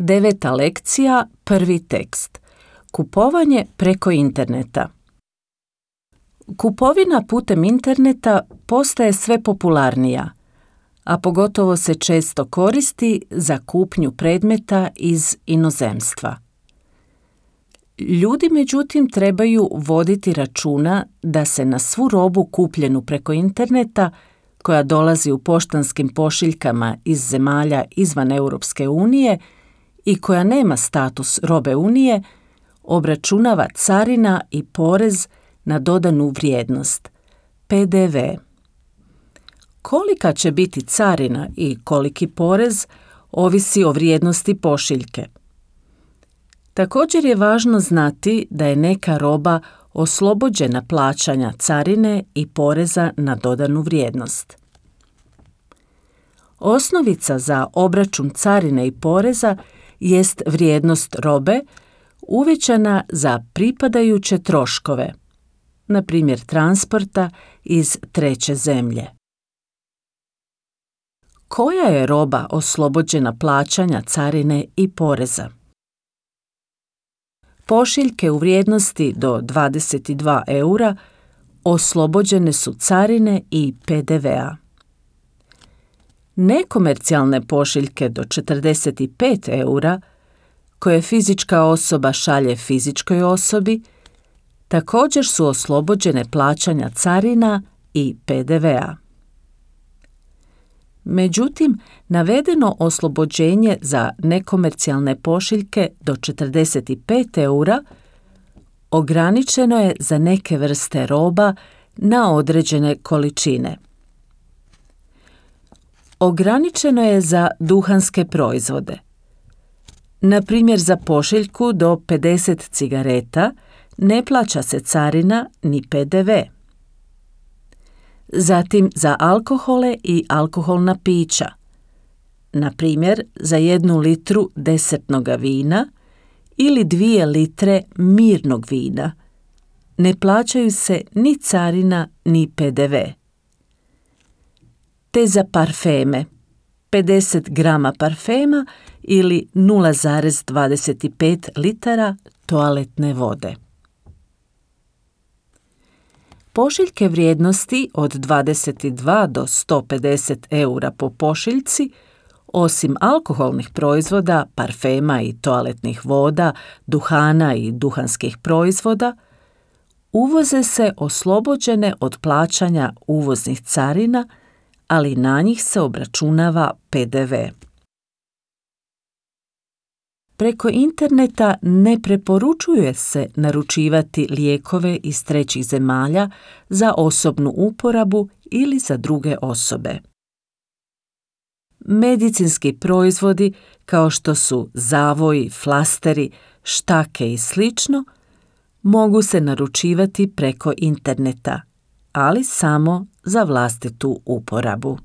9. lekcija, 1. tekst. Kupovanje preko interneta. Kupovina putem interneta postaje sve popularnija, a pogotovo se često koristi za kupnju predmeta iz inozemstva. Ljudi, međutim, trebaju voditi računa da se na svu robu kupljenu preko interneta, koja dolazi u poštanskim pošiljkama iz zemalja izvan Europske unije i koja nema status robe Unije, obračunava carina i porez na dodanu vrijednost, PDV. Kolika će biti carina i koliki porez ovisi o vrijednosti pošiljke. Također je važno znati da je neka roba oslobođena plaćanja carine i poreza na dodanu vrijednost. Osnovica za obračun carine i poreza jest vrijednost robe uvećana za pripadajuće troškove, na primjer transporta iz treće zemlje. Koja je roba oslobođena plaćanja carine i poreza? Pošiljke u vrijednosti do 22 eura oslobođene su carine i PDV-a. Nekomercijalne pošiljke do 45 eura, koje fizička osoba šalje fizičkoj osobi, također su oslobođene plaćanja carina i PDV-a. Međutim, navedeno oslobođenje za nekomercijalne pošiljke do 45 eura ograničeno je za neke vrste roba na određene količine. Ograničeno je za duhanske proizvode. Na primjer, za pošiljku do 50 cigareta ne plaća se carina ni PDV. Zatim za alkohole i alkoholna pića. Na primjer, za 1 litru desertnoga vina ili 2 litre mirnog vina ne plaćaju se ni carina ni PDV. Te za parfeme, 50 grama parfema ili 0,25 litara toaletne vode. Pošiljke vrijednosti od 22 do 150 eura po pošiljci, osim alkoholnih proizvoda, parfema i toaletnih voda, duhana i duhanskih proizvoda, uvoze se oslobođene od plaćanja uvoznih carina, ali na njih se obračunava PDV. Preko interneta ne preporučuje se naručivati lijekove iz trećih zemalja za osobnu uporabu ili za druge osobe. Medicinski proizvodi kao što su zavoji, flasteri, štake i sl. Mogu se naručivati preko interneta, ali samo za vlastitu uporabu.